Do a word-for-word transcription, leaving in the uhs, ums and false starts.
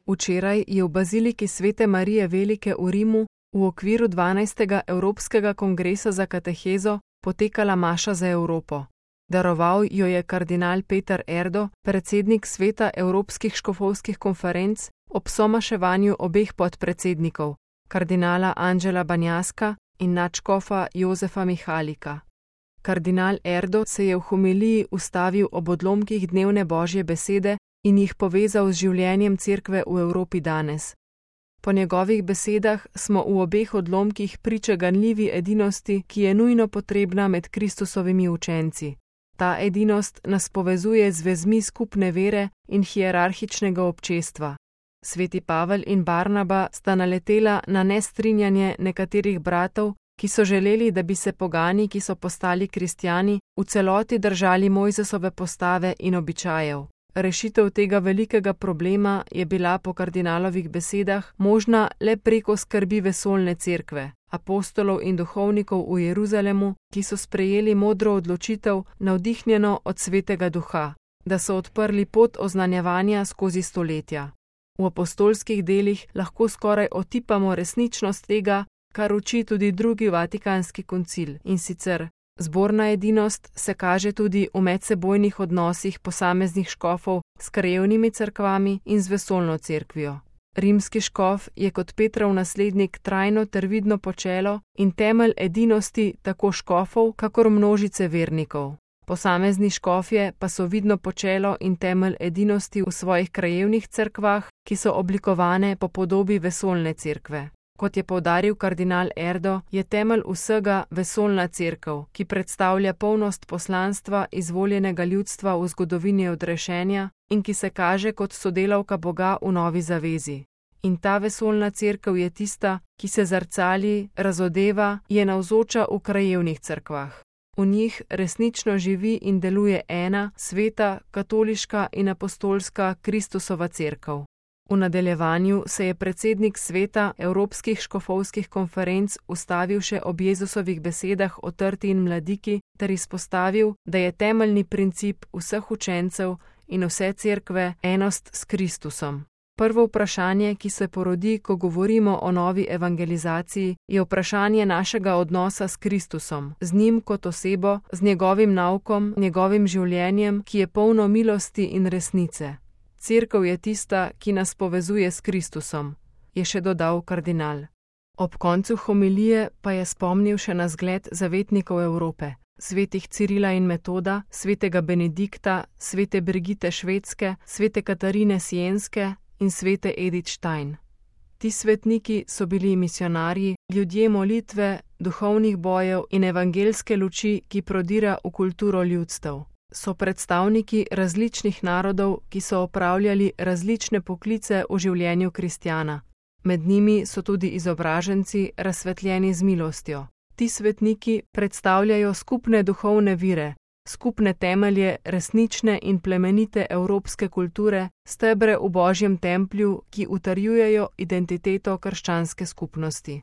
Včeraj je v baziliki Svete Marije Velike v Rimu v okviru dvanajstega Evropskega kongresa za katehezo potekala maša za Evropo. Daroval jo je kardinal Peter Erdo, predsednik Sveta Evropskih škofovskih konferenc, ob somaševanju obeh podpredsednikov, kardinala Anđela Banjaska in nadškofa Jozefa Mihalika. Kardinal Erdo se je v homiliji ustavil ob odlomkih dnevne Božje besede in jih povezal z življenjem Cerkve v Evropi danes. Po njegovih besedah smo v obeh odlomkih priče ganljivi edinosti, ki je nujno potrebna med Kristusovimi učenci. Ta edinost nas povezuje z vezmi skupne vere in hierarhičnega občestva. Sveti Pavel in Barnaba sta naletela na nestrinjanje nekaterih bratov, ki so želeli, da bi se pogani, ki so postali kristjani, v celoti držali Mojzesove postave in običajev. Rešitev tega velikega problema je bila po kardinalovih besedah možna le preko skrbi vesoljne cerkve, apostolov in duhovnikov v Jeruzalemu, ki so sprejeli modro odločitev, navdihnjeno od Svetega Duha, da so odprli pot oznanjevanja skozi stoletja. V apostolskih delih lahko skoraj otipamo resničnost tega, kar uči tudi drugi Vatikanski koncil, in sicer zborna edinost se kaže tudi v medsebojnih odnosih posameznih škofov s krajevnimi cerkvami in z vesoljno cerkvijo. Rimski škof je kot Petrov naslednik trajno ter vidno počelo in temelj edinosti tako škofov, kakor množice vernikov. Posamezni škofje pa so vidno počelo in temelj edinosti v svojih krajevnih cerkvah, ki so oblikovane po podobi vesoljne cerkve. Kot je poudaril kardinal Erdo, je temelj vsega vesoljna cerkev, ki predstavlja polnost poslanstva izvoljenega ljudstva v zgodovini odrešenja in ki se kaže kot sodelavka Boga v novi zavezi. In ta vesoljna cerkev je tista, ki se zrcali, razodeva, je navzoča v krajevnih cerkvah. V njih resnično živi in deluje ena, sveta, katoliška in apostolska Kristusova cerkev. V nadaljevanju se je predsednik Sveta Evropskih škofovskih konferenc ustavil še ob Jezusovih besedah o trti in mladiki ter izpostavil, da je temeljni princip vseh učencev in vse cerkve enost s Kristusom. Prvo vprašanje, ki se porodi, ko govorimo o novi evangelizaciji, je vprašanje našega odnosa s Kristusom, z njim kot osebo, z njegovim naukom, njegovim življenjem, ki je polno milosti in resnice. Cerkev je tista, ki nas povezuje s Kristusom, je še dodal kardinal. Ob koncu homilije pa je spomnil še na zgled zavetnikov Evrope, svetih Cirila in Metoda, svetega Benedikta, svete Brigite Švedske, svete Katarine Sienske in svete Edith Stein. Ti svetniki so bili misionarji, ljudje molitve, duhovnih bojev in evangelske luči, ki prodira v kulturo ljudstev. So predstavniki različnih narodov, ki so opravljali različne poklice v življenju kristjana. Med njimi so tudi izobraženci, razsvetljeni z milostjo. Ti svetniki predstavljajo skupne duhovne vire, skupne temelje resnične in plemenite evropske kulture, stebre v Božjem templju, ki utrjujejo identiteto krščanske skupnosti.